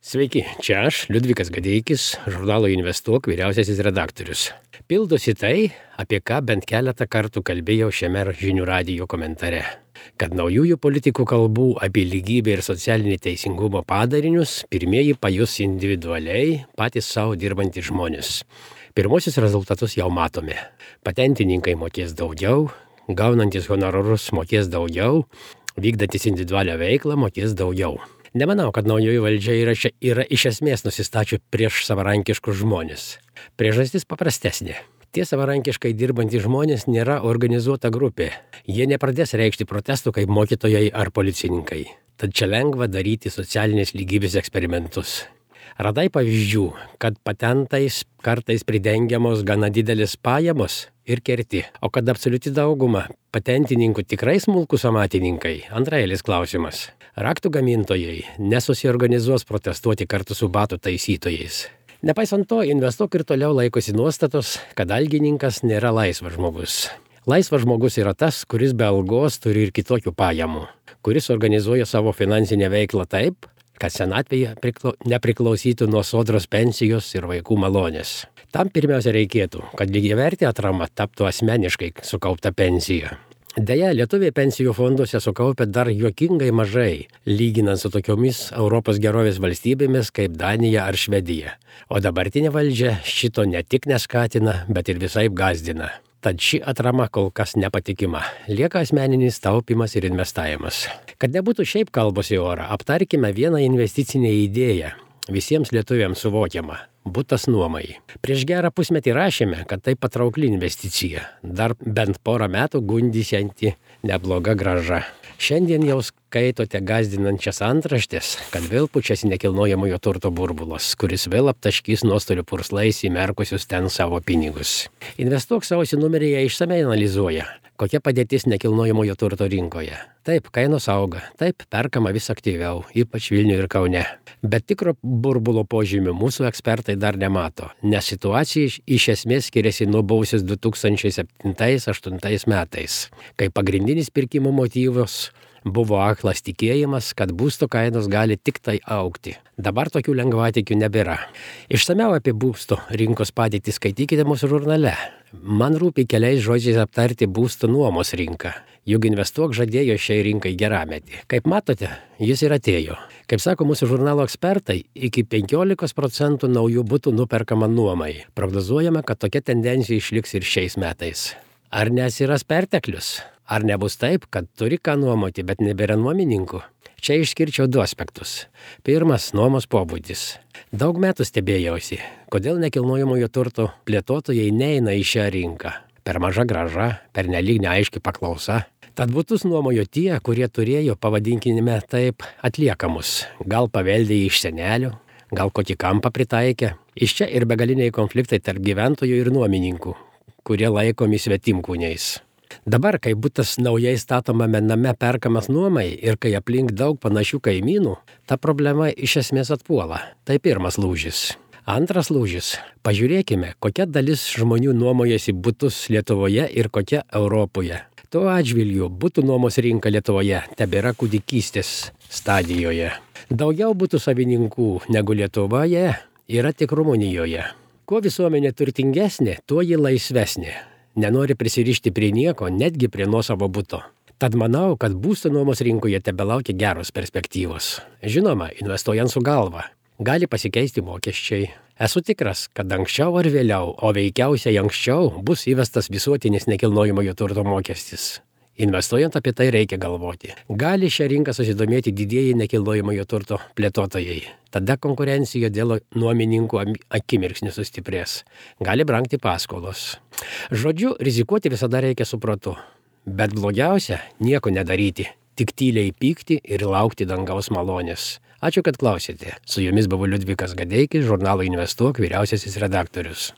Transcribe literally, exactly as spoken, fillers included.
Sveiki, čia aš, Liudvikas Gadeikis, žurnalo Investuok vyriausiasis redaktorius. Pildosi tai, apie ką bent keletą kartų kalbėjau šiame žinių radijo komentare. Kad naujųjų politikų kalbų apie lygybę ir socialinį teisingumo padarinius pirmieji pajus individualiai patys savo dirbantys žmonės. Pirmosius rezultatus jau matome. Patentininkai mokės daugiau, gaunantis honorarus mokės daugiau, vykdantis individualią veiklą mokės daugiau. Nemanau, kad naujoji valdžia yra, yra iš esmės nusistačių prieš savarankiškus žmonės. Priežastis paprastesnė. Tie savarankiškai dirbantys žmonės nėra organizuota grupė. Jie nepradės reikšti protestų kaip mokytojai ar policininkai. Tad čia lengva daryti socialinės lygybės eksperimentus. Radai pavyzdžių, kad patentais kartais pridengiamos gana didelis pajamos ir kerti, o kad absoliuti dauguma patentininkų tikrai smulkūs amatininkai, antraeilis klausimas. Raktų gamintojai nesusiorganizuos protestuoti kartu su batų taisytojais. Nepaisant to, Investuok ir toliau laikosi nuostatos, kad algininkas nėra laisvas žmogus. Laisvas žmogus yra tas, kuris be algos turi ir kitokių pajamų, kuris organizuoja savo finansinę veiklą taip, kad senatvėje priklau, nepriklausytų nuo sodros pensijos ir vaikų malonės. Tam pirmiausia reikėtų, kad lygiavertė atrama taptų asmeniškai sukaupta pensija. Deja, lietuviai pensijų fonduose sukaupia dar juokingai mažai, lyginant su tokiomis Europos gerovės valstybėmis kaip Danija ar Švedija. O dabartinė valdžia šito ne tik neskatina, bet ir visaip gąsdina. Tad ši atrama kol kas nepatikima. Lieka asmeninis taupimas ir investavimas. Kad nebūtų šiaip kalbos į orą, aptarkime vieną investicinę idėją. Visiems lietuviams suvokiama – butas nuomai. Prieš gerą pusmetį rašėme, kad tai patraukli investicija. Dar bent porą metų gundysianti nebloga grąža. Šiandien jau skaitote gąsdinančias antraštės, kad vėl pučiasi nekilnojamojo turto burbulas, kuris vėl aptaškys nuostolių purslais įmerkusius ten savo pinigus. Investuok sausio numeryje išsamei analizuoja, kokia padėtis nekilnojamojo turto rinkoje. Taip, kainos auga, taip, perkama vis aktyviau, ypač Vilniuje ir Kaune. Bet tikro burbulo požymių mūsų ekspertai dar nemato, nes situacija iš esmės skiriasi nuo buvusios du tūkstančiai septintais aštuntais metais, kai pagrindinis pirkimo motyvas buvo aklas tikėjimas, kad būsto kainos gali tik tai augti. Dabar tokių lengvatikių nebėra. Išsamiau apie būsto rinkos padėtį skaitykite mūsų žurnale. Man rūpi keliais žodžiais aptarti būsto nuomos rinką. Juk Investuok žadėjo šiai rinkai gerametį. Kaip matote, jis ir atėjo. Kaip sako mūsų žurnalo ekspertai, iki penkiolikos procentų naujų butų nuperkama nuomai. Prognozuojama, kad tokia tendencija išliks ir šiais metais. Ar nesiras perteklius? Ar nebus taip, kad turi ką nuomoti, bet nebėra nuomininkų? Čia išskirčiau du aspektus. Pirmas – nuomos pobūdis. Daug metų stebėjausi, kodėl nekilnojamojo turto plėtotojai neina į šią rinką. Per maža grąža, per nelyg neaiški paklausa. Tad butus nuomojo tie, kurie turėjo, pavadinkime taip, atliekamus. Gal paveldė iš senelių, gal kokį kampą pritaikė. Iš čia ir begaliniai konfliktai tarp gyventojų ir nuomininkų, kurie laikomi svetimkūniais. Dabar, kai butas naujai statomame name perkamas nuomai ir kai aplink daug panašių kaimynų, ta problema iš esmės atpuola. Tai pirmas lūžis. Antras lūžis. Pažiūrėkime, kokia dalis žmonių nuomojasi butus Lietuvoje ir kokia Europoje. Tuo atžvilgiu butų nuomos rinka Lietuvoje tebėra kūdikystės stadijoje. Daugiau butų savininkų negu Lietuvoje yra tik Rumunijoje. Kuo visuomenė turtingesnė, tuo ji laisvesnė. Nenori prisirišti prie nieko, netgi prie nuosavo buto. Tad manau, kad būsto nuomos rinkoje tebelaukia geros perspektyvos. Žinoma, investuojant su galva. Gali pasikeisti mokesčiai. Esu tikras, kad anksčiau ar vėliau, o veikiausiai anksčiau, bus įvestas visuotinis nekilnojamojo turto mokestis. Investuojant apie tai reikia galvoti. Gali šią rinką susidomėti didieji nekilnojamojo turto plėtotojai. Tada konkurencija dėl nuomininkų akimirksniu sustiprės. Gali brangti paskolos. Žodžiu, rizikuoti visada reikia su protu. Bet blogiausia – nieko nedaryti. Tik tyliai pykti ir laukti dangaus malonės. Ačiū, kad klausėte. Su jumis buvo Liudvikas Gadeikis, žurnalo Investuok vyriausiasis redaktorius.